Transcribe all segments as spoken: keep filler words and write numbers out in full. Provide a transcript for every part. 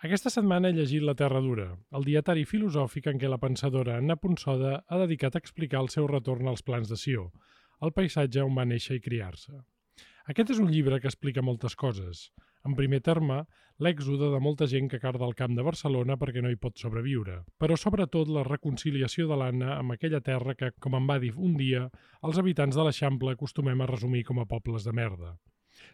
Aquesta setmana he llegit La Terra Dura, el dietari filosòfic en què la pensadora Anna Punsoda ha dedicat a explicar el seu retorn als plans de Sió, el paisatge on va néixer i criar-se. Aquest és un llibre que explica moltes coses. En primer terme, l'èxode de molta gent que carda al camp de Barcelona perquè no hi pot sobreviure, però sobretot la reconciliació de l'Anna amb aquella terra que, com em va dir un dia, els habitants de l'Eixample acostumem a resumir com a pobles de merda.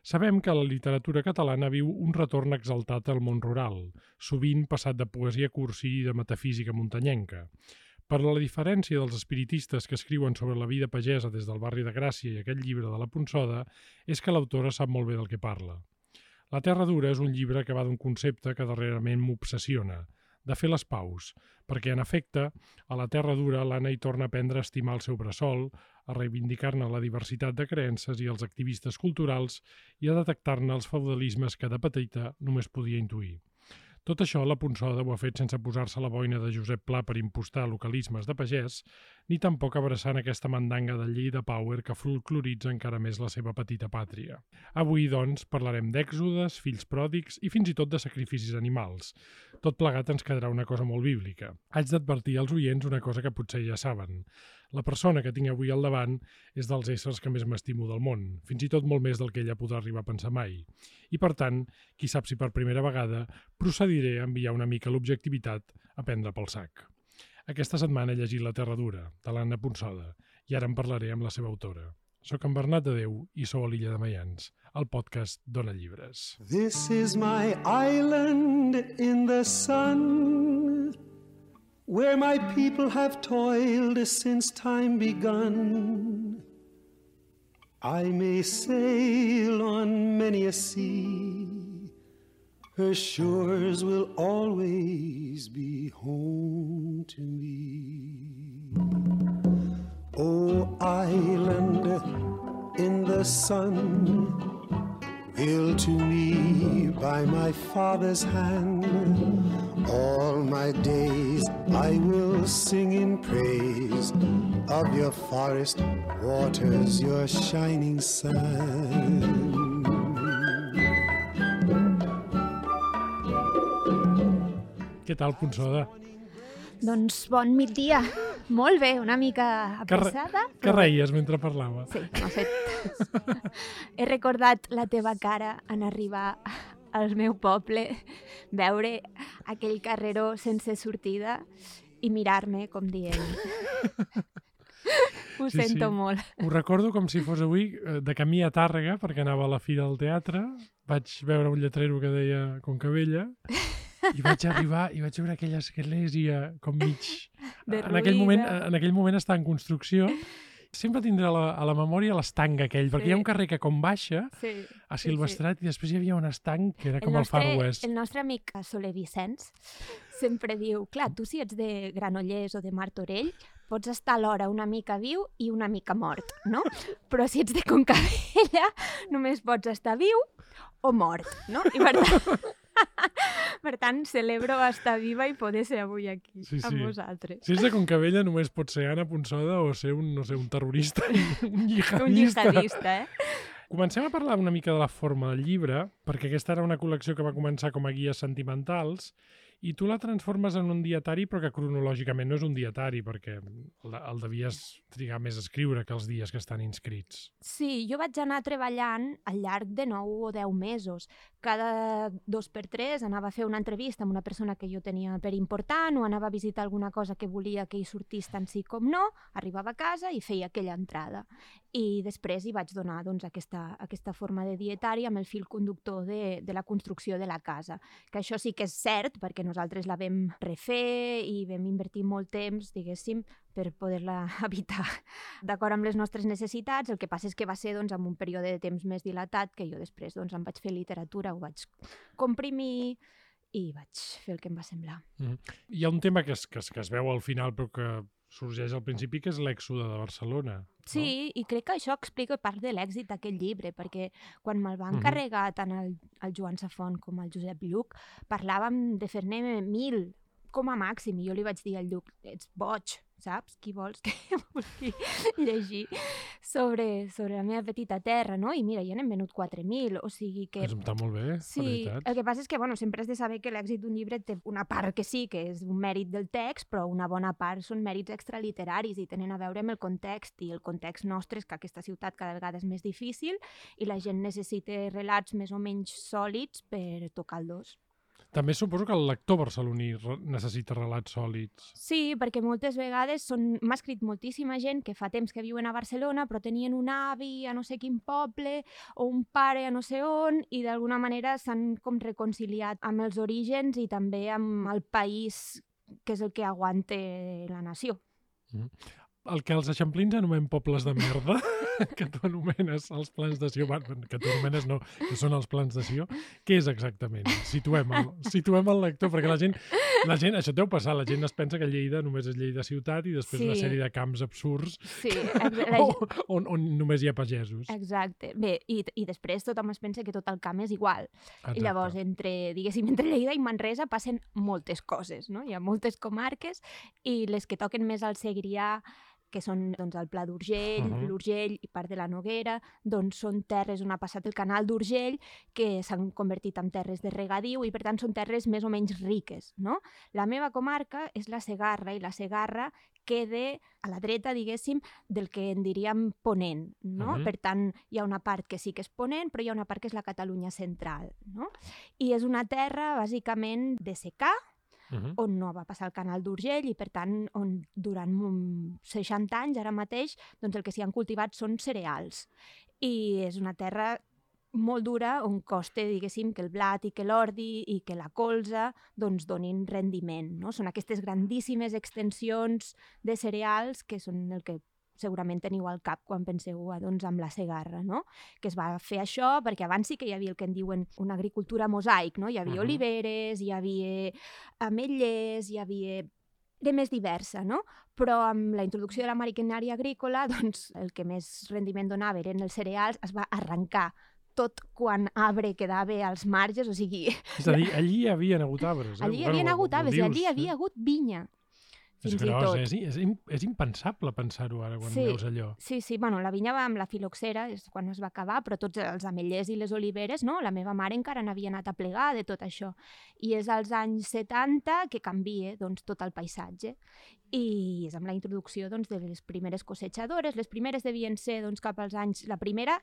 Sabem que la literatura catalana viu un retorn exaltat al món rural, sovint passat de poesia cursi i de metafísica muntanyenca. Per la diferència dels espiritistes que escriuen sobre la vida pagesa des del barri de Gràcia i aquest llibre de la Punsoda, és que l'autora sap molt bé del que parla. La Terra Dura és un llibre que va d'un concepte que darrerament m'obsessiona, de fer les paus, perquè, en efecte, a la Terra Dura l'Anna hi torna a aprendre a estimar el seu bressol, a reivindicar-ne la diversitat de creences i els activistes culturals i a detectar-ne els feudalismes que de petita només podia intuir. Tot això la Punsoda ho ha fet sense posar-se la boina de Josep Pla per impostar localismes de pagès, ni tampoc abraçant aquesta mandanga de llei de power que folcloritza encara més la seva petita pàtria. Avui, doncs, parlarem d'èxodes, fills pròdigs i fins i tot de sacrificis animals. Tot plegat ens quedarà una cosa molt bíblica. Haig d'advertir als oients una cosa que potser ja saben. La persona que tinc avui al davant és dels éssers que més m'estimo del món, fins i tot molt més del que ella podrà arribar a pensar mai. I, per tant, qui sap si per primera vegada procediré a enviar una mica l'objectivitat a prendre pel sac. Aquesta setmana he llegit La Terra Dura, de l'Anna Punsoda, i ara en parlaré amb la seva autora. Soc en Bernat de Déu i sou a l'Illa de Mayans, el podcast Dona Llibres. This is my island in the sun, where my people have toiled since time begun. I may sail on many a sea, her shores will always be home to me. Oh, island in the sun, built to me by my father's hand, all my days I will sing in praise of your forest waters, your shining sun. Què tal, Punsoda? Doncs bon migdia. Molt bé, una mica apressada. Que reies mentre parlava? Sí, m'ha fet... He recordat la teva cara en arribar al meu poble, veure aquell carreró sense sortida i mirar-me com dient... Ho Sí, sento sí. molt. Ho recordo com si fos avui, eh, de camí a Tàrrega, perquè anava a la Fira del Teatre, vaig veure un lletrero que deia Concabella, i vaig arribar i vaig veure aquella església com mig... En aquell, moment, en aquell moment està en construcció. Sempre tindré a la, a la memòria l'estanc aquell, perquè Sí. hi ha un carrer que com baixa Sí, a sí, Silvestrat i després hi havia un estanc que era com el, nostre, Far West. el nostre amic Soler Vicenç sempre diu, clar, tu si ets de Granollers o de Martorell, pots estar alhora una mica viu i una mica mort, no? Però si ets de Concabella, només pots estar viu o mort, no? I per tant, per tant celebro estar viva i poder ser avui aquí Sí, amb sí. vosaltres. Si és de Concabella només pot ser Anna Punsoda o ser un, no sé, un terrorista, un jihadista. Un jihadista, eh? Comencem a parlar una mica de la forma del llibre, perquè aquesta era una col·lecció que va començar com a guies sentimentals i tu la transformes en un dietari, però que cronològicament no és un dietari, perquè el, el devies trigar més a escriure que els dies que estan inscrits. Sí, jo vaig anar treballant al llarg de nou o deu mesos. Cada dos per tres anava a fer una entrevista amb una persona que jo tenia per important o anava a visitar alguna cosa que volia que hi sortís tant sí com no, arribava a casa i feia aquella entrada. I després hi vaig donar doncs, aquesta, aquesta forma de dietari amb el fil conductor de, de la construcció de la casa. Que això sí que és cert, perquè nosaltres la vam refer i vam invertir molt temps, diguéssim, per poder-la habitar d'acord amb les nostres necessitats. El que passa és que va ser doncs, en un període de temps més dilatat que jo després doncs, em vaig fer literatura, ho vaig comprimir i vaig fer el que em va semblar. Mm. Hi ha un tema que es, que, es, que es veu al final però que sorgeix al principi, que és l'èxode de Barcelona. Sí, no? I crec que això explica part de l'èxit d'aquest llibre, perquè quan me'l va Mhm. encarregar tant el, el Joan Safont com el Josep Lluc, parlàvem de fer-ne mil com a màxim, i jo li vaig dir al Lluc, ets boig, saps? Qui vols que vulgui llegir sobre, sobre la meva petita terra, no? I mira, ja n'hem venut quatre mil, o sigui que... Està molt bé, sí, la veritat. El que passa és que, bueno, sempre has de saber que l'èxit d'un llibre té una part que sí, que és un mèrit del text, però una bona part són mèrits extraliteraris i tenen a veure amb el context, i el context nostre és que aquesta ciutat cada vegada és més difícil i la gent necessita relats més o menys sòlids per tocar el dos. També suposo que el lector barceloní necessita relats sòlids. Sí, perquè moltes vegades són... m'ha escrit moltíssima gent que fa temps que viuen a Barcelona però tenien un avi a no sé quin poble o un pare a no sé on i d'alguna manera s'han com reconciliat amb els orígens i també amb el país que és el que aguanta la nació. Mm. El que els eixamplins anomenem pobles de merda, que tu anomenes els plans de Sió, que tu anomenes no, que són els plans de Sió, què és exactament? Situem el, situem el lector, perquè la gent, la gent, això deu passar, la gent es pensa que Lleida només és Lleida ciutat i després sí. Una sèrie de camps absurds sí, que, la... on, on només hi ha pagesos. Exacte. Bé, i, i després tothom es pensa que tot el camp és igual. Exacte. I llavors, entre, diguéssim, entre Lleida i Manresa passen moltes coses, no? Hi ha moltes comarques i les que toquen més al Segrià, que són doncs, el Pla d'Urgell, uh -huh. l'Urgell i part de la Noguera, doncs són terres on ha passat el canal d'Urgell que s'han convertit en terres de regadiu i per tant són terres més o menys riques, no? La meva comarca és la Segarra i la Segarra queda a la dreta, diguéssim, del que en diríem ponent, no? Uh -huh. Per tant, hi ha una part que sí que és ponent, però hi ha una part que és la Catalunya central, no? I és una terra, bàsicament, de secà, Uh -huh. on no va passar el canal d'Urgell i, per tant, on durant seixanta anys, ara mateix, doncs el que s'hi han cultivat són cereals. I és una terra molt dura on costa, diguéssim, que el blat i que l'ordi i que la colza doncs donin rendiment, no? Són aquestes grandíssimes extensions de cereals que són el que segurament teniu al cap quan penseu doncs, amb la Segarra, no? Que es va fer això perquè abans sí que hi havia el que en diuen una agricultura mosaic, no? Hi havia uh -huh. oliveres, hi havia ametllers, hi havia de més diversa, no? Però amb la introducció de la maquinària agrícola, doncs el que més rendiment donava eren els cereals, es va arrencar tot quan arbre quedava als marges, o sigui... És a dir, allí hi havia hagut arbres, eh? Allí hi havia bueno, hagut arbres i allí hi eh? havia hagut vinya. És gros, és, és, és impensable pensar-ho ara quan sí, veus allò. Sí, sí, bueno, la vinya va amb la filoxera, és quan es va acabar, però tots els ametllers i les oliveres, no? La meva mare encara n'havia anat a plegar de tot això. I és als anys setanta que canvia doncs, tot el paisatge. I és amb la introducció doncs, de les primeres cosetjadores. Les primeres devien ser doncs, cap als anys... La primera...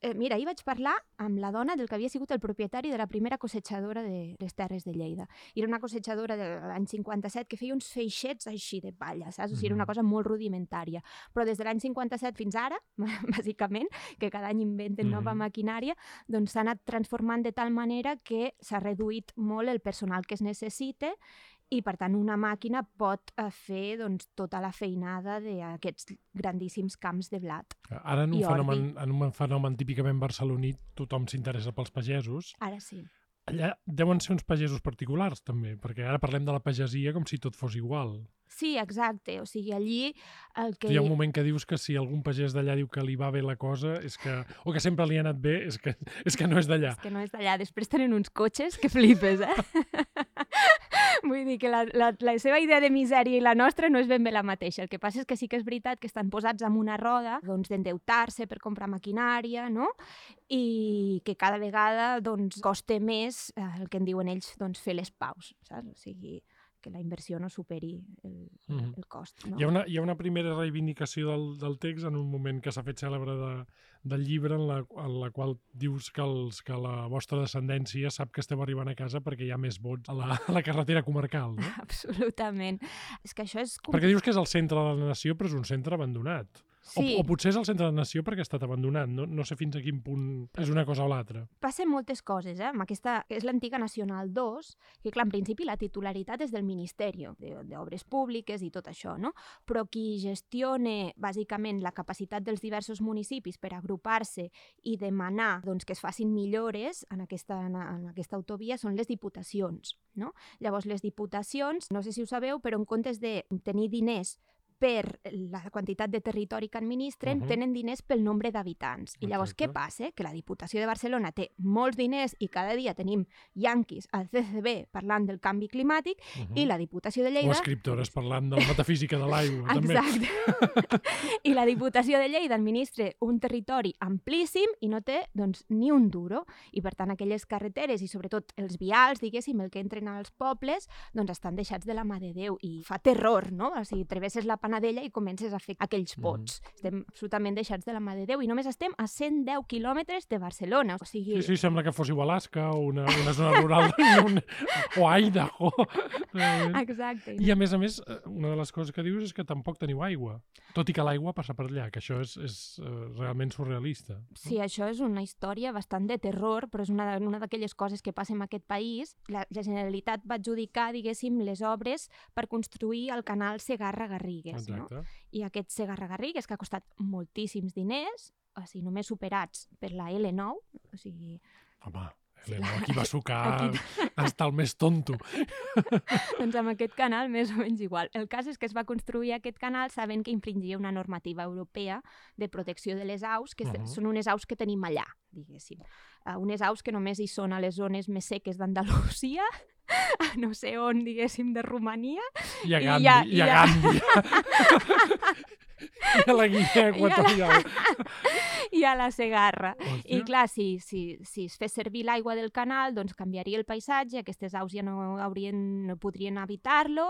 Eh, mira, ahir vaig parlar amb la dona del que havia sigut el propietari de la primera cosetjadora de les terres de Lleida. Era una cosetjadora de l'any cinquanta-set que feia uns feixets així de palla, saps? O sigui, era una cosa molt rudimentària. Però des de l'any cinquanta-set fins ara, bàsicament, que cada any inventen mm. nova maquinària, doncs s'ha anat transformant de tal manera que s'ha reduït molt el personal que es necessita i, per tant, una màquina pot fer doncs, tota la feinada d'aquests grandíssims camps de blat. Ara, en un, fenomen, en un fenomen típicament barceloní, tothom s'interessa pels pagesos. Ara sí. Allà deuen ser uns pagesos particulars, també, perquè ara parlem de la pagesia com si tot fos igual. Sí, exacte. O sigui, allí el que... Hi ha un moment que dius que si algun pagès d'allà diu que li va bé la cosa, és que, o que sempre li ha anat bé, és que, és que no és d'allà. És que no és d'allà. Després tenen uns cotxes que flipes, eh? Vull dir que la, la, la seva idea de misèria i la nostra no és ben bé la mateixa. El que passa és que sí que és veritat que estan posats en una roda doncs, d'endeutar-se per comprar maquinària, no? I que cada vegada doncs, costa més eh, el que en diuen ells doncs, fer les paus, saps? O sigui, que la inversió no superi el, mm-hmm. el cost. No? Hi ha una, hi ha una primera reivindicació del, del text en un moment que s'ha fet cèlebre de, del llibre en la, en la qual dius que, els, que la vostra descendència sap que esteu arribant a casa perquè hi ha més vots a la, a la carretera comarcal, no? Absolutament. És que això és... Perquè dius que és el centre de la nació, però és un centre abandonat. Sí. O, o potser és el centre de la nació perquè ha estat abandonat. No, no sé fins a quin punt és una cosa o l'altra. Passen moltes coses, eh? Amb aquesta, que és l'antiga Nacional dos, que clar, en principi la titularitat és del Ministeri d'Obres Públiques i tot això, no? Però qui gestiona bàsicament la capacitat dels diversos municipis per agrupar-se i demanar doncs, que es facin millores en aquesta, en aquesta autovia són les diputacions, no? Llavors les diputacions, no sé si ho sabeu, però en comptes de tenir diners per la quantitat de territori que administren, uh-huh. tenen diners pel nombre d'habitants. I llavors, Exacte. Què passa? Que la Diputació de Barcelona té molts diners i cada dia tenim yanquis al C C B parlant del canvi climàtic uh-huh. i la Diputació de Lleida... O escriptores parlant de la metafísica de l'aigua, també. Exacte. I la Diputació de Lleida administra un territori amplíssim i no té, doncs, ni un duro. I, per tant, aquelles carreteres i, sobretot, els vials, diguéssim, el que entren als pobles, doncs estan deixats de la mà de Déu. I fa terror, no? O sigui, travesses la Panadella i comences a fer aquells pots. Mm. Estem absolutament deixats de la mà de Déu i només estem a cent deu quilòmetres de Barcelona. O sigui... Sí, sí, sembla que fóssiu Alaska o una, una zona rural un... o Idaho. Exacte. I a més a més, una de les coses que dius és que tampoc teniu aigua, tot i que l'aigua passa per allà, que això és, és uh, realment surrealista. Sí, això és una història bastant de terror, però és una, una d'aquelles coses que passa en aquest país. La, la Generalitat va adjudicar, diguéssim, les obres per construir el canal Segarra-Garrigues. No? I aquest Segarra-Garrigues, que ha costat moltíssims diners, o sigui, només superats per la L nou, o sigui... Home, L nou, aquí va sucar aquí... hasta el més tonto. Doncs amb aquest canal més o menys igual. El cas és que es va construir aquest canal sabent que infringia una normativa europea de protecció de les aus, que uh-huh. són unes aus que tenim allà, diguéssim. Uh, unes aus que només hi són a les zones més seques d'Andalusia, a no sé on, diguéssim, de Romania. I a Gandhi. I a, i a, i a... Gandhi. I a la Guinea Equatorial. I a la Segarra. Hòstia. I clar, si, si, si es fes servir l'aigua del canal, doncs canviaria el paisatge, aquestes aus ja no, haurien, no podrien habitar-lo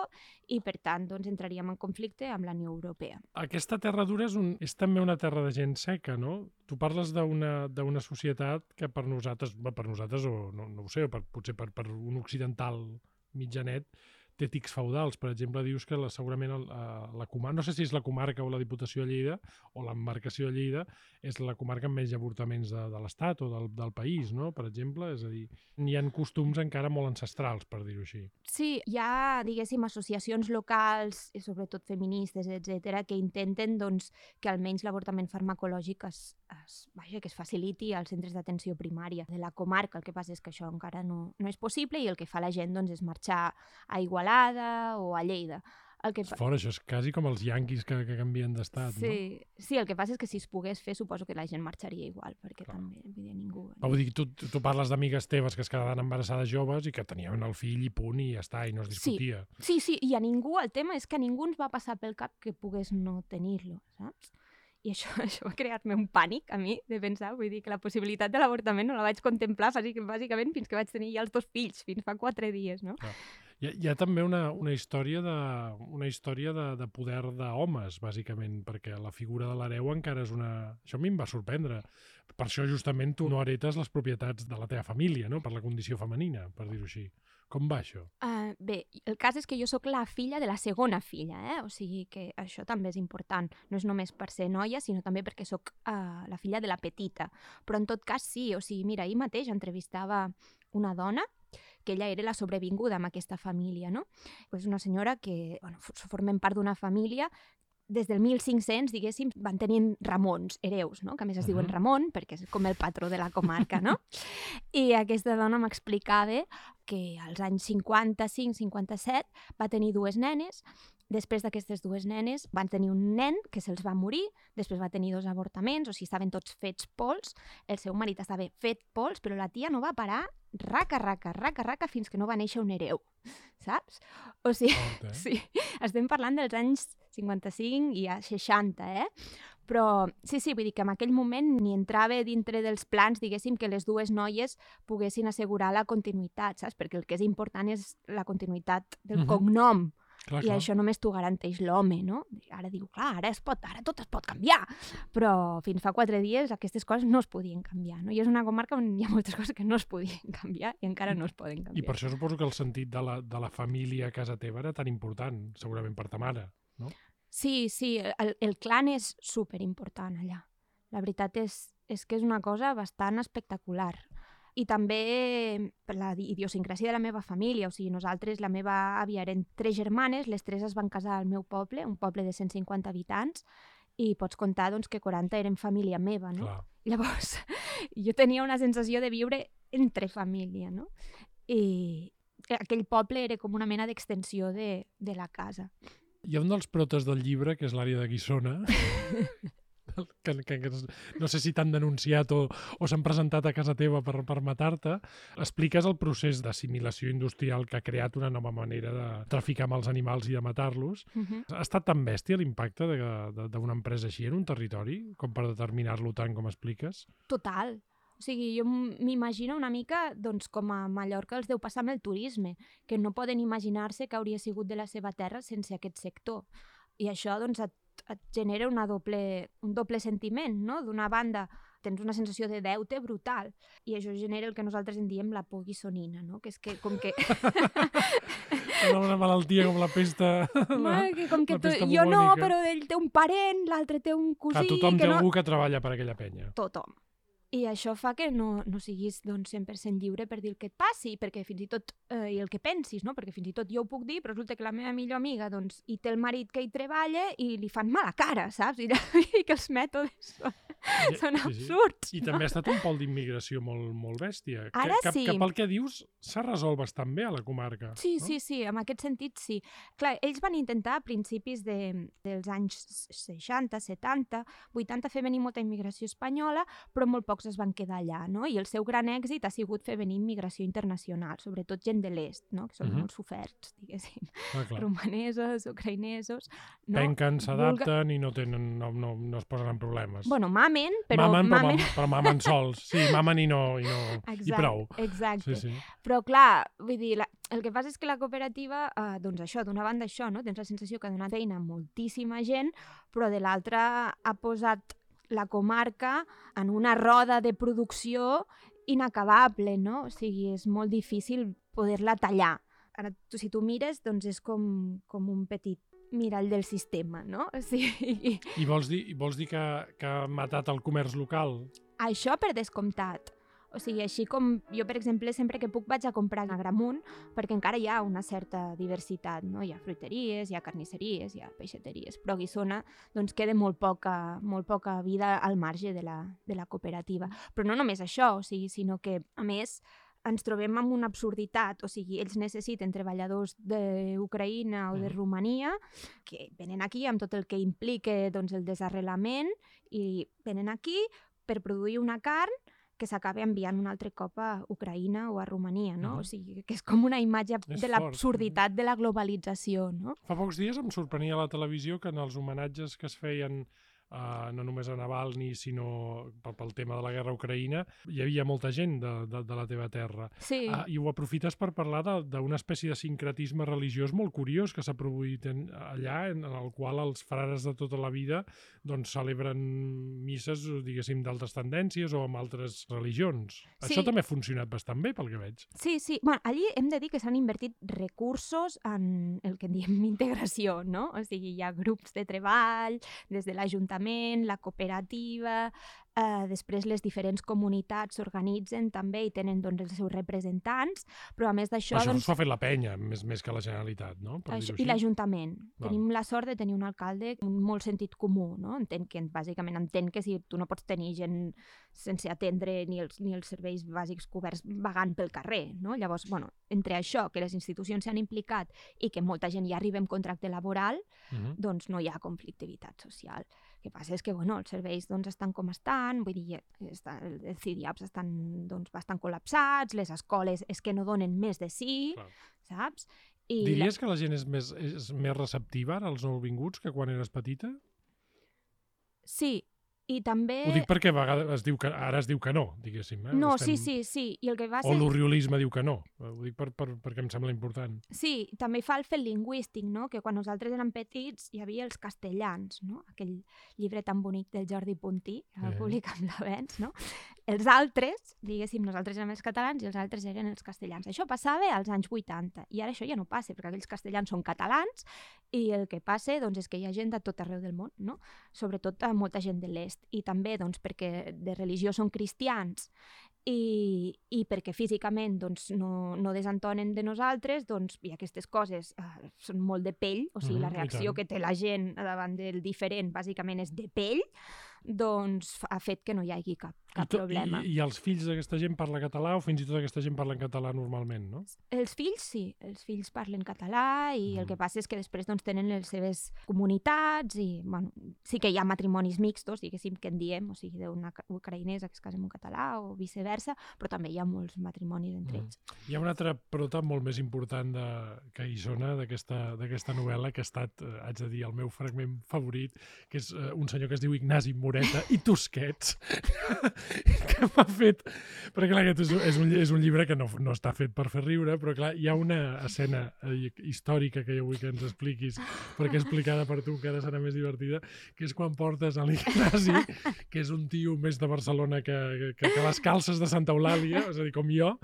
i, per tant, doncs entraríem en conflicte amb la Unió Europea. Aquesta terra dura és, un, és també una terra de gent seca, no? Tu parles d'una d'una societat que per nosaltres, per nosaltres o no, no ho sé, per, potser per, per un occidental mitjanet, té tics feudals. Per exemple, dius que la, segurament el, la comarca, no sé si és la comarca o la Diputació de Lleida o l'embarcació de Lleida, és la comarca amb menys avortaments de, de l'Estat o del, del país, no? Per exemple, és a dir, hi ha costums encara molt ancestrals, per dir-ho així. Sí, hi ha, diguéssim, associacions locals, sobretot feministes, etcètera, que intenten, doncs, que almenys l'avortament farmacològic es, es, vaja, que es faciliti als centres d'atenció primària de la comarca. El que passa és que això encara no, no és possible i el que fa la gent, doncs, és marxar a Igualada o a Lleida. El que... Fora, això és quasi com els yanquis que, que canvien d'estat, sí. no? Sí, el que passa és que si es pogués fer, suposo que la gent marxaria igual, perquè Clar. també, vull dir, ningú... Va, vull dir, tu, tu parles d'amigues teves que es quedaven embarassades joves i que tenien el fill i punt i ja està, i no es discutia. Sí, sí, sí, i a ningú, el tema és que a ningú ens va passar pel cap que pogués no tenir-lo, saps? I això, això va crear-me un pànic a mi de pensar, vull dir que la possibilitat de l'avortament no la vaig contemplar bàsicament fins que vaig tenir ja els dos fills, fins fa quatre dies, no? Clar. Hi ha, hi ha també una, una història, de, una història de, de poder d'homes, bàsicament, perquè la figura de l'hereu encara és una... Això a mi em va sorprendre. Per això, justament, tu no heretes les propietats de la teva família, no? Per la condició femenina, per dir-ho així. Com va això? Uh, bé, el cas és que jo sóc la filla de la segona filla, eh? O sigui que això també és important. No és només per ser noia, sinó també perquè sóc uh, la filla de la petita. Però en tot cas sí, o sigui, mira, ahir mateix entrevistava una dona que ella era la sobrevinguda amb aquesta família, no? És una senyora que, bueno, formem part d'una família des del mil cinc-cents, diguéssim, van tenint Ramons, hereus, no? Que a més es uh-huh. diuen Ramon, perquè és com el patró de la comarca, no? I aquesta dona m'explicava que als anys cinquanta-cinc cinquanta-set va tenir dues nenes. Després d'aquestes dues nenes van tenir un nen que se'ls va morir, després va tenir dos avortaments, o sigui, estaven tots fets pols, el seu marit estava fet pols, però la tia no va parar raca, raca, raca, raca, fins que no va néixer un hereu, saps? O sigui, okay. sí, estem parlant dels anys cinquanta-cinc i a seixanta, eh? Però sí, sí, vull dir que en aquell moment ni entrava dintre dels plans, diguéssim, que les dues noies poguessin assegurar la continuïtat, saps? Perquè el que és important és la continuïtat del uh-huh. cognom. Clar, I clar. això només t'ho garanteix l'home, no? Ara diu, clar, ara, es pot, ara tot es pot canviar, però fins fa quatre dies aquestes coses no es podien canviar, no? I és una comarca on hi ha moltes coses que no es podien canviar i encara no es poden canviar. I per això suposo que el sentit de la, de la família a casa teva era tan important, segurament per ta mare, no? Sí, sí, el, el clan és superimportant allà. La veritat és, és que és una cosa bastant espectacular. I també per la idiosincràsia de la meva família, o sigui, nosaltres, la meva àvia eren tres germanes, les tres es van casar al meu poble, un poble de cent cinquanta habitants, i pots comptar doncs, que quaranta eren família meva, no? Clar. I llavors, jo tenia una sensació de viure entre família, no? I aquell poble era com una mena d'extensió de, de la casa. Hi ha un dels protes del llibre, que és l'àrea de Guissona, que, que, que no sé si t'han denunciat o, o s'han presentat a casa teva per, per matar-te. Expliques el procés d'assimilació industrial que ha creat una nova manera de traficar amb els animals i de matar-los. Uh-huh. Ha estat tan bèstia l'impacte d'una empresa així en un territori com per determinar-lo tant com expliques? Total. O sigui, jo m'imagino una mica doncs, com a Mallorca els deu passar amb el turisme, que no poden imaginar-se que hauria sigut de la seva terra sense aquest sector. I això doncs, et, et genera una doble, un doble sentiment, no? D'una banda, tens una sensació de deute brutal, i això genera el que nosaltres en diem la por guissonina, no? Que és que, com que... Una malaltia com la pesta... No, que com que tu, jo no, però ell té un parent, l'altre té un cosí... Que tothom que té no... algú que treballa per aquella penya. Tothom. I això fa que no, no siguis doncs, cent per cent lliure per dir el que et passi, perquè fins i tot, eh, i el que pensis, no? Perquè fins i tot jo ho puc dir, però resulta que la meva millor amiga doncs, hi té el marit que hi treballa i li fan mala cara, saps? I, i que els mètodes són, sí, són absurds. Sí, sí. I no? també ha estat un pol d'immigració molt, molt bèstia. Ara que, sí. Que pel que dius s'ha resolt bastant bé a la comarca. Sí, no? sí, sí, en aquest sentit sí. Clar, ells van intentar a principis de, dels anys seixanta, setanta, vuitanta fer venir molta immigració espanyola, però molt pocs es van quedar allà. No? I el seu gran èxit ha sigut fer venir immigració internacional, sobretot gent de l'est, no? Que són uh-huh. molt soferts, diguéssim. Ah, romanesos, ucraïnesos... No? Penquen, s'adapten Vulga... i no, tenen, no, no, no es posen en problemes. Bueno, mamen, però... Mamen, mamen... Però, però mamen sols. Sí, mamen i no... I, no, exacte, i prou. Exacte. Sí, sí. Però clar, vull dir, la, el que passa és que la cooperativa, eh, doncs això, d'una banda això, no? Tens la sensació que ha donat feina a moltíssima gent, però de l'altra ha posat la comarca en una roda de producció inacabable, no? O sigui, és molt difícil poder-la tallar. Ara, tu, si tu mires, doncs és com, com un petit mirall del sistema, no? O sigui... I vols dir, vols dir que, que ha matat el comerç local? Això per descomptat. O sigui, així com jo, per exemple, sempre que puc vaig a comprar a Gramunt, perquè encara hi ha una certa diversitat, no? Hi ha fruiteries, hi ha carnisseries, hi ha peixateries, però a Guissona doncs, queda molt poca, molt poca vida al marge de la, de la cooperativa. Però no només això, o sigui, sinó que, a més, ens trobem amb una absurditat, o sigui, ells necessiten treballadors d'Ucraïna o de Romania que venen aquí amb tot el que implica doncs, el desarrelament i venen aquí per produir una carn que s'acaba enviant un altre cop a Ucraïna o a Romania, no? Uh-huh. O sigui, que és com una imatge és de l'absurditat de la globalització, no? Fa pocs dies em sorprenia a la televisió que en els homenatges que es feien Uh, no només a Navalny, sinó pel, pel tema de la guerra a Ucraïna, hi havia molta gent de, de, de la teva terra. Sí. Uh, I ho aprofites per parlar d'una espècie de sincretisme religiós molt curiós que s'ha produït en, allà, en, en el qual els frares de tota la vida doncs, celebren misses, diguéssim, d'altres tendències o amb altres religions. Sí. Això també ha funcionat bastant bé, pel que veig. Sí, sí. Bueno, allí hem de dir que s'han invertit recursos en el que en diem integració, no? O sigui, hi ha grups de treball, des de l'Ajuntament, la cooperativa, eh, després les diferents comunitats s'organitzen també i tenen doncs, els seus representants, però a més d'això... Això doncs, s'ho ha fet la penya, més, més que la Generalitat, no? Per això, dir-ho I l'Ajuntament. Val. Tenim la sort de tenir un alcalde amb molt sentit comú, no? Entén que, bàsicament entén que si tu no pots tenir gent sense atendre ni els, ni els serveis bàsics coberts vagant pel carrer, no? Llavors, bueno, entre això, que les institucions s'han implicat i que molta gent ja arriba amb contracte laboral, uh-huh. doncs no hi ha conflictivitat social. El que passa és que bueno, els serveis doncs, estan com estan, vull dir, està, els C D A Ps estan doncs, bastant col·lapsats, les escoles és que no donen més de sí, Clar. saps? I Diries la... que la gent és més, és més receptiva ara, als nouvinguts, que quan eres petita? Sí, i també... Ho dic perquè a vegades es diu que, ara es diu que no, diguéssim. Eh? No, Estem... sí, sí, sí. I el que va O ser... l'oriolisme diu que no. Ho dic per, per, perquè em sembla important. Sí, també fa el fet lingüístic, no? Que quan nosaltres érem petits hi havia els castellans, no? Aquell llibre tan bonic del Jordi Puntí, que va Eh. publicar amb l'Avenç, no? Els altres, diguéssim, nosaltres érem els catalans i els altres eren els castellans. Això passava als anys vuitanta i ara això ja no passa, perquè aquells castellans són catalans i el que passa doncs, és que hi ha gent de tot arreu del món, no? Sobretot molta gent de l'est. I també doncs, perquè de religió són cristians i, i perquè físicament doncs, no, no desentonen de nosaltres, doncs, i aquestes coses eh, són molt de pell, o sigui, Mm, la reacció que té la gent davant del diferent bàsicament és de pell, doncs ha fet que no hi hagi cap, cap I, to, problema. i, I els fills d'aquesta gent parlen català o fins i tot aquesta gent parla en català normalment, no? Els fills sí, els fills parlen català i Mm. el que passa és que després doncs, tenen les seves comunitats i bueno, sí que hi ha matrimonis mixtos, diguéssim, que en diem, o sigui, d'una ca- ucraïnesa que es casa amb un català o viceversa, però també hi ha molts matrimonis entre Mm. ells. Hi ha una altra prota molt més important de, que hi sona d'aquesta d'aquesta novel·la que ha estat, eh, haig de dir, el meu fragment favorit, que és eh, un senyor que es diu Ignasi Moreta i Tusquets, que m'ha fet... Perquè clar, aquest és, un- és, un, és un llibre que no, no està fet per fer riure, però clar, hi ha una escena eh, històrica que jo vull que ens expliquis, perquè explicada per tu encara serà més divertida, que és quan portes a l'Ignasi, que és un tio més de Barcelona que, que, que les calces de Santa Eulàlia, és a dir, com jo.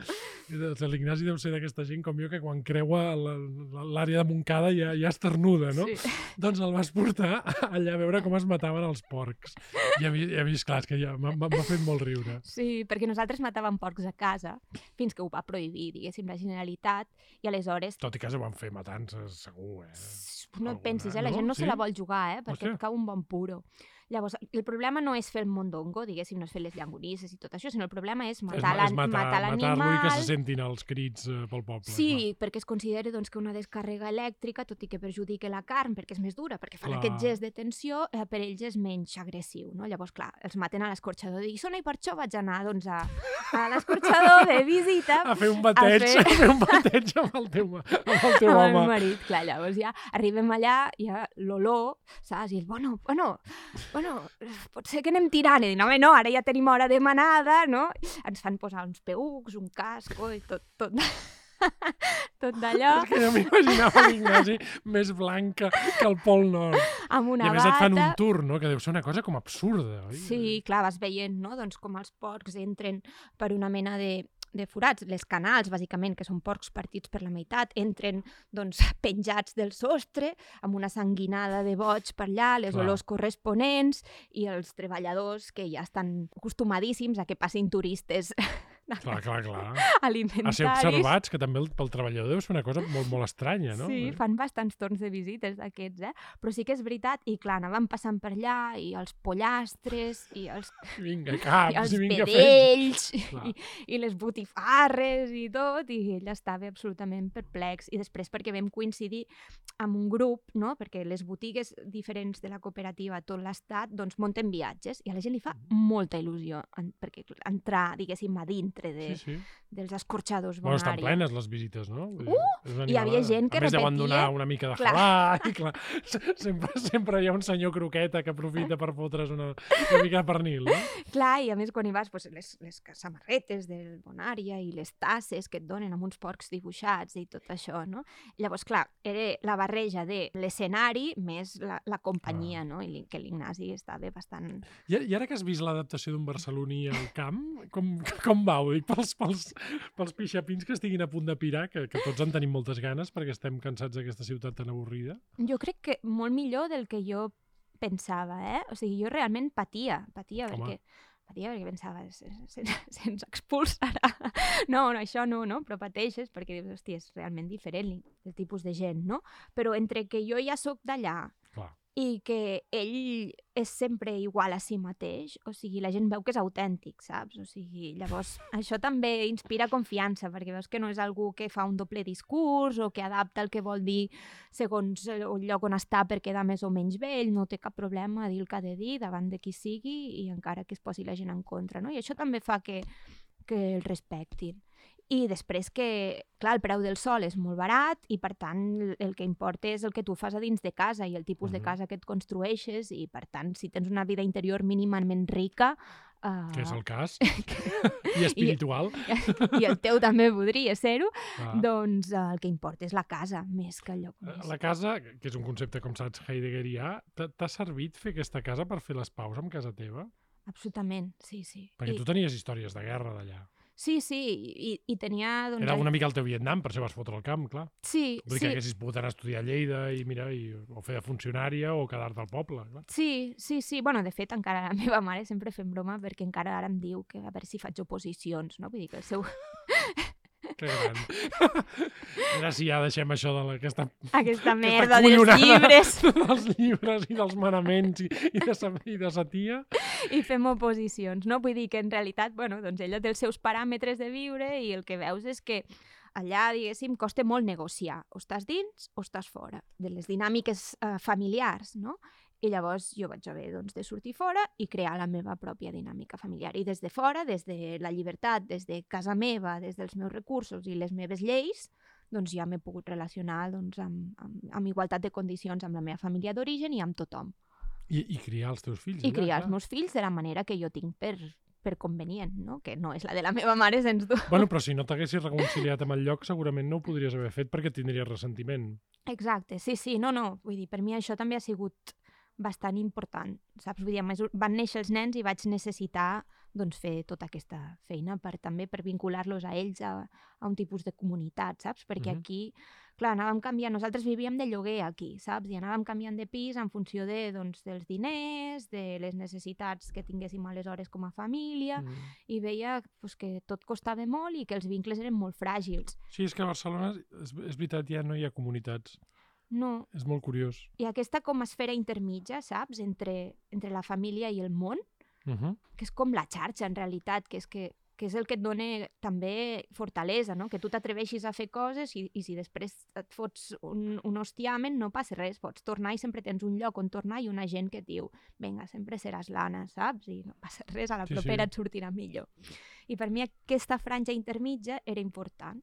L'Ignasi deu ser d'aquesta gent com jo que quan creua la- l'àrea de Montcada ja, ja esternuda, no? Sí. Doncs el vas portar allà a veure com es mataven els porcs. I a mi, i a mi esclar, és que ja m'ha m'ha fet molt riure. Sí, perquè nosaltres matàvem porcs a casa fins que ho va prohibir, diguéssim, la Generalitat, i aleshores Tot i que se van fer matances, segur, eh? no et Alguna, pensis, eh? La no? gent no Sí? se la vol jugar, eh? Perquè Hòstia. et cau un bon puro. Llavors, el problema no és fer el mondongo, diguéssim, no és fer les llangonisses i tot això, sinó el problema és És, matar ma- és l'animal. matar, Matar matar-lo i que se l'animal. sentin els crits eh, pel poble. Sí, perquè es considera doncs, que una descàrrega elèctrica, tot i que perjudica la carn perquè és més dura, perquè fan Clar. aquest gest de tensió, eh, per ells és menys agressiu. No? Llavors, clar, els maten a l'escorxador de Guissona i per això vaig anar doncs, a, a l'escorxador de visita A fer un bateig, a fer- fer, a fer un bateig amb el teu, amb el teu amb el home. meu marit. Clar, llavors ja arribem allà, ja l'olor, saps? I el, bueno, bueno, bueno, pot ser que anem tirant. I dic, no, home, no, ara ja tenim hora de manada, no? Ens fan posar uns peucs, un casco i tot, tot, tot d'allò, És que jo m'imaginava l'Ignasi més blanca que el Pol Nord. amb I una a més et fan un bata. tour, no? Que deu ser una cosa com absurda, oi? Sí, clar, vas veient, no? Doncs com els porcs entren per una mena de, de forats, les canals, bàsicament, que són porcs partits per la meitat, entren doncs, penjats del sostre, amb una sanguinada de boig per allà, les Clar. olors corresponents, i els treballadors que ja estan acostumadíssims a que passin turistes Clar, clar, clar. alimentaris. A ser observats, que també el- pel treballador deu ser una cosa molt, molt estranya, no? Sí, fan bastants torns de visites d'aquests, eh? Però sí que és veritat, i clar, anàvem passant per allà, i els pollastres, i els, Vinga, i caps, els i vinga, fets. vedells, Clar. i, i les botifarres i tot, i ell estava absolutament perplex. I després perquè vam coincidir amb un grup, no? Perquè les botigues diferents de la cooperativa a tot l'estat doncs munten viatges, i a la gent li fa molta il·lusió en, perquè entrar, diguéssim, a dintre de, Sí, sí. dels escorxadors Bueno, estan Bonària. plenes les visites, no? Vull dir, és una hi havia animalada. gent que A més, deuen repetia. donar una mica de Clar. halà, i clar, se- sempre, sempre hi ha un senyor croqueta que aprofita per fotre's una, una mica de pernil, no? Clar, i a més quan hi vas, doncs, les, les samarretes del Bonària i les tasses que et donen amb uns porcs dibuixats i tot això, no? Llavors, clar, era la barreja de l'escenari més la, la companyia, no? I li- que l'Ignasi estava bastant... I, I ara que has vist l'adaptació d'un barceloní al camp, com, com va? Ho dic pels, pels, pels pixapins que estiguin a punt de pirar, que, que tots en tenim moltes ganes perquè estem cansats d'aquesta ciutat tan avorrida. Jo crec que molt millor del que jo pensava, eh? O sigui, jo realment patia, patia, Home. perquè patia perquè pensava, se- se- se'ns expulsarà. No, no, això no, no? Però pateixes perquè dius, hòstia, és realment diferent el tipus de gent, no? Però entre que jo ja sóc d'allà Clar. i que ell és sempre igual a si mateix, o sigui, la gent veu que és autèntic, saps? O sigui, llavors, això també inspira confiança, perquè veus que no és algú que fa un doble discurs o que adapta el que vol dir segons el lloc on està per quedar més o menys bé, ell no té cap problema a dir el que ha de dir davant de qui sigui i encara que es posi la gent en contra, no? I això també fa que, que el respectin. I després que, clar, el preu del sol és molt barat i, per tant, el que importa és el que tu fas a dins de casa i el tipus Mhm. de casa que et construeixes i, per tant, si tens una vida interior mínimament rica... Uh, Que és el cas. I espiritual. i el teu també podria ser-ho, Clar. doncs uh, el que importa és la casa, més que el lloc més. La casa, que és un concepte, com saps, heideggerià, t'ha t'ha servit fer aquesta casa per fer les paus amb casa teva? Absolutament, sí, sí. Perquè I, tu tenies històries de guerra d'allà. sí, sí, i, i tenia... Doncs, Era una mica el teu Vietnam, per això vas fotre el camp, clar. Sí, Vull dir sí. que haguessis pogut anar a estudiar a Lleida i, mira, i, o fer de funcionària o quedar-te al poble, clar. Sí, sí, sí. Bueno, de fet, encara la meva mare sempre fem broma perquè encara ara em diu que a veure si faig oposicions, no? Vull dir que el seu... Que gran. Mira, si ja deixem això de la, aquesta, Aquesta aquesta merda dels collonada llibres. dels llibres i dels manaments i, i, de, sa- i de sa tia. i fem oposicions, no? Vull dir que en realitat, bueno, doncs ella té els seus paràmetres de viure i el que veus és que allà, diguéssim, costa molt negociar. O estàs dins o estàs fora de les dinàmiques eh, familiars, no? I llavors jo vaig haver doncs, de sortir fora i crear la meva pròpia dinàmica familiar. I des de fora, des de la llibertat, des de casa meva, des dels meus recursos i les meves lleis, doncs ja m'he pogut relacionar doncs, amb, amb, amb igualtat de condicions amb la meva família d'origen i amb tothom. I, I criar els teus fills. I allà, criar clar. els meus fills de la manera que jo tinc per, per convenient, no? Que no és la de la meva mare, sens dubte. Bueno, però si no t'haguessis reconciliat amb el lloc, segurament no ho podries haver fet perquè tindries ressentiment. Exacte, sí, sí, no, no. Vull dir, per mi això també ha sigut bastant important, saps? Vull dir, a mesura, van néixer els nens i vaig necessitar doncs, fer tota aquesta feina per també per vincular-los a ells a, a un tipus de comunitat, saps? Perquè Mhm. aquí, clar, anàvem canviant, nosaltres vivíem de lloguer aquí, saps? I anàvem canviant de pis en funció de, doncs, dels diners, de les necessitats que tinguéssim aleshores com a família, Mm. i veia pues, que tot costava molt i que els vincles eren molt fràgils. Sí, és que a Barcelona, és, és veritat, ja no hi ha comunitats. No, És molt curiós. i aquesta com a esfera intermitja, saps? Entre, entre la família i el món, Uh -huh. que és com la xarxa, en realitat, que és, que, que és el que et dona també fortalesa, no? Que tu t'atreveixis a fer coses i, i si després et fots un, un hostiamen, no passa res, pots tornar i sempre tens un lloc on tornar i una gent que et diu vinga, sempre seràs l'Anna, saps? I no passa res, a la Sí, propera sí. et sortirà millor. I per mi aquesta franja intermitja era important.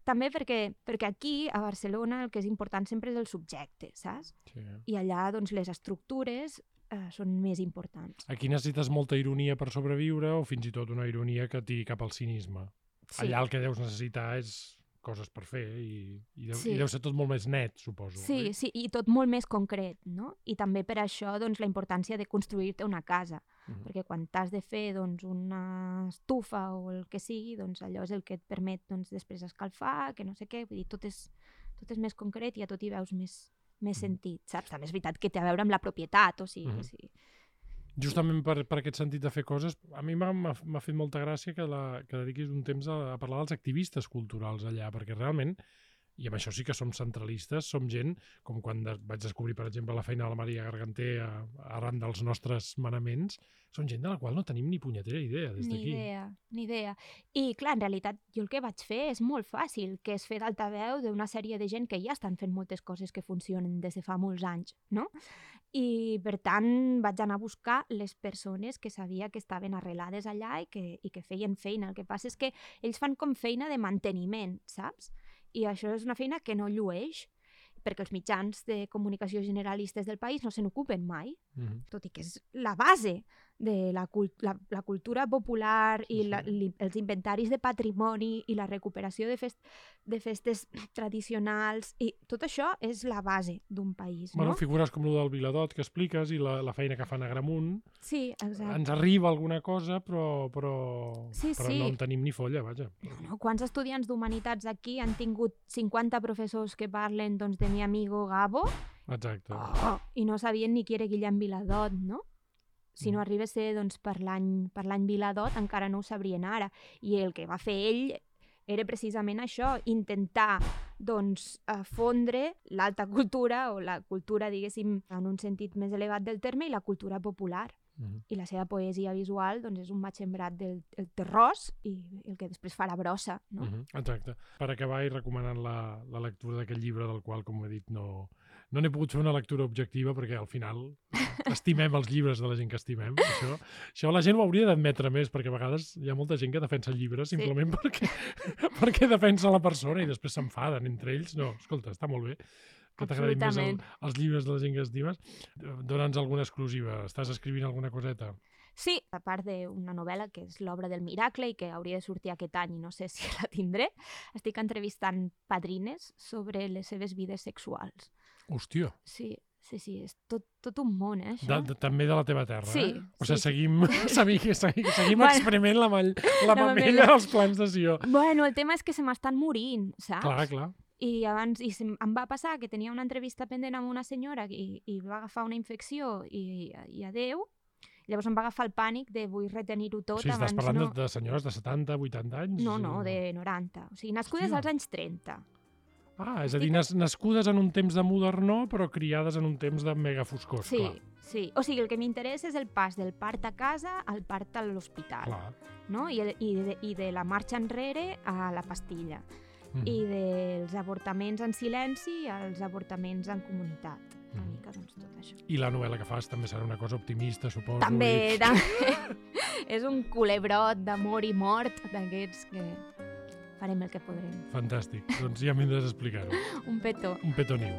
També perquè, perquè aquí, a Barcelona, el que és important sempre és el subjecte, saps? Sí. I allà, doncs, les estructures eh, són més importants. Aquí necessites molta ironia per sobreviure o fins i tot una ironia que et tiri cap al cinisme. Sí. Allà el que deus necessitar és coses per fer i, i, deu, Sí. i deu ser tot molt més net, suposo. Sí, oi? sí, i tot molt més concret, no? I també per això doncs, la importància de construir-te una casa, Mhm. perquè quan t'has de fer doncs, una estufa o el que sigui, doncs allò és el que et permet doncs, després escalfar, que no sé què, vull dir, tot és, tot és més concret i a tot hi veus més, més Mhm. sentit, saps? També és veritat que té a veure amb la propietat, o sigui, Mhm. sí. Justament per, per aquest sentit de fer coses, a mi m'ha m'ha- m'ha fet molta gràcia que, la, que dediquis un temps a, a parlar dels activistes culturals allà, perquè realment, i amb això sí que som centralistes, som gent, com quan de, vaig descobrir, per exemple, la feina de la Maria Garganter a, arran dels nostres manaments, són gent de la qual no tenim ni punyetera idea des Ni d'aquí. idea, ni idea. I clar, en realitat jo el que vaig fer és molt fàcil, que és fer d'altaveu d'una sèrie de gent que ja estan fent moltes coses que funcionen des de fa molts anys, no? I per tant vaig anar a buscar les persones que sabia que estaven arrelades allà i que, i que feien feina. El que passa és que ells fan com feina de manteniment, saps? I això és una feina que no llueix, perquè els mitjans de comunicació generalistes del país no se n'ocupen mai, Mhm. tot i que és la base de la, cult la, la cultura popular i Sí, la, sí. li, els inventaris de patrimoni i la recuperació de, fest, de festes tradicionals, i tot això és la base d'un país, Bueno, no? figures com el del Viladot que expliques i la, la feina que fan a Gramunt, Sí, exacte. ens arriba alguna cosa, però, però, Sí, però sí. no en tenim ni folla, vaja. No, no, quants estudiants d'humanitats aquí han tingut cinquanta professors que parlen doncs, de mi amigo Gabo Exacte. oh, i no sabien ni qui era Guillem Viladot, no? Si no Mm. arriba a ser doncs, per l'any per l'any Viladot, encara no ho sabrien ara. I el que va fer ell era precisament això, intentar doncs, eh, fondre l'alta cultura, o la cultura, diguéssim, en un sentit més elevat del terme, i la cultura popular. Mhm. I la seva poesia visual doncs, és un matxembrat del, del terrós i el que després farà brossa, no? Mhm, exacte. Per acabar i recomanant la, la lectura d'aquest llibre del qual, com he dit, no, no n'he pogut fer una lectura objectiva perquè al final estimem els llibres de la gent que estimem. Això, això la gent ho hauria d'admetre més perquè a vegades hi ha molta gent que defensa llibres Sí. simplement perquè, perquè defensa la persona i després s'enfaden entre ells. No, escolta, està molt bé que t'agradin més el, Absolutament. els llibres de la gent que estimes. Dóna'ns alguna exclusiva. Estàs escrivint alguna coseta? Sí, a part d'una novel·la que és l'obra del miracle i que hauria de sortir aquest any i no sé si la tindré, estic entrevistant padrines sobre les seves vides sexuals. Hòstia, Sí, sí, sí, és tot, tot un món, eh, de, això. de, també de la teva terra, Sí, eh? O sigui, sí, sí. seguim, seguim, seguim, seguim Bueno. experiment la, mall, la La mamella mamella. dels plans de Sió. Bueno, el tema és que se m'estan morint, saps? Clar, clar. I abans i se- em va passar que tenia una entrevista pendent amb una senyora i, i va agafar una infecció i, i adeu. Llavors em va agafar el pànic de vull retenir-ho O tot sigui, estàs abans parlant no... de, de senyores de setanta, vuitanta anys? No, no, de noranta. O sigui, nascudes Hòstia. als anys trenta. Ah, és a dir, nas nascudes en un temps de modernó, però criades en un temps de mega foscor, Sí, clar. sí. O sigui, el que m'interessa és el pas del part a casa al part a l'hospital, Clar. no? I, el, i, de, I de la marxa enrere a la pastilla. Mhm. I dels avortaments en silenci als avortaments en comunitat. Una Mhm. mica, doncs, tot això. I la novel·la que fas també serà una cosa optimista, suposo. També, I... també és un culebrot d'amor i mort d'aquests que farem el que podrem. Fantàstic. Doncs ja m'hindràs a explicar-ho. Un petó. Un petó niu.